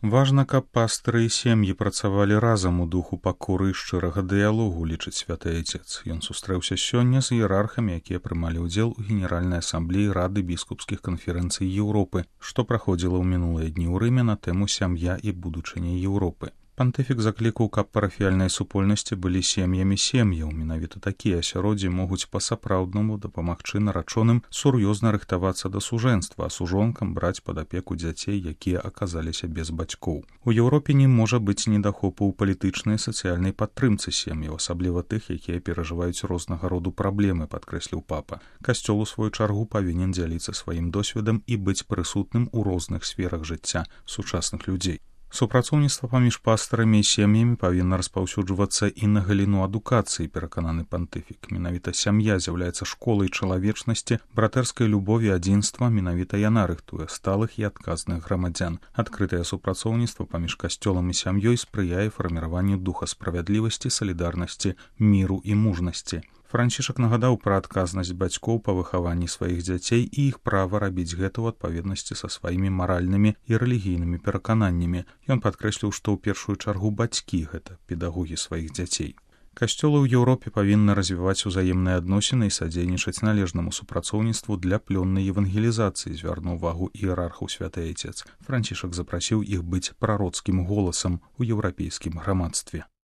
Важна, каб пастыры і сем'і працавалі разам у духу пакоры і шчырага дыялогу, лічыць святы айцец. Ён сустрэўся сёння з іерархамі, якія прымалі ўдзел у Генеральнай асамблеі Рады біскупскіх канферэнцый Еўропы, што праходзіла ў мінулыя дні ў Рыме на тэму «Сям'я і будучыня Еўропы». Пантыфік заклікаў, каб парафіяльныя супольнасці былі сем'ямі сем'яў. Менавіта такія асяроддзі могуць па-сапраўднаму дапамагчы нарачоным сур'ёзна рыхтавацца да сужэнства, а сужонкам браць пад апеку дзяцей, якія аказаліся без бацькоў. У Еўропе не можа быць недахопу ў палітычнай і сацыяльнай падтрымцы сем'яў, асабліва тых, якія перажываюць рознага роду праблемы, падкрэсліў папа. Касцёл у сваю чаргу павінен дзяліцца сваім досведам і быць прысутным у розных сферах жыцця сучасных людзей. Супрацоўніцтва паміж пастарамі і сем'ямі павінна распаўсюджвацца і на галіну адукацыі, перакананы пантыфік. Менавіта сям'я з'яўляецца школай чалавечнасці, братэрскай любові, адзінства, менавіта яна рыхтуе сталых і адказных грамадзян. Адкрытае супрацоўніцтва паміж касцёлам і сям'ёй спрыяе фарміраванню духа справядлівасці, салідарнасці, міру і мужнасці. Францішак нагадаў пра адказнасць бацькоў па выхаванні сваіх дзяцей і іх права рабіць гэта ў адпаведнасці са сваімі маральнымі і рэлігійнымі перакананнямі. Ён падкрэсліў, што ў першую чаргу бацькі — гэта педагогі сваіх дзяцей. Касцёлы ў Еўропе павінны развіваць узаемныя адносіны і садзейнічаць належнаму супрацоўніцтву для плённай евангелізацыі, звярнуў увагу іерархаў святы айцец. Францішак запрасіў іх быць прароцкім голасам у еўрапейскім грамадстве.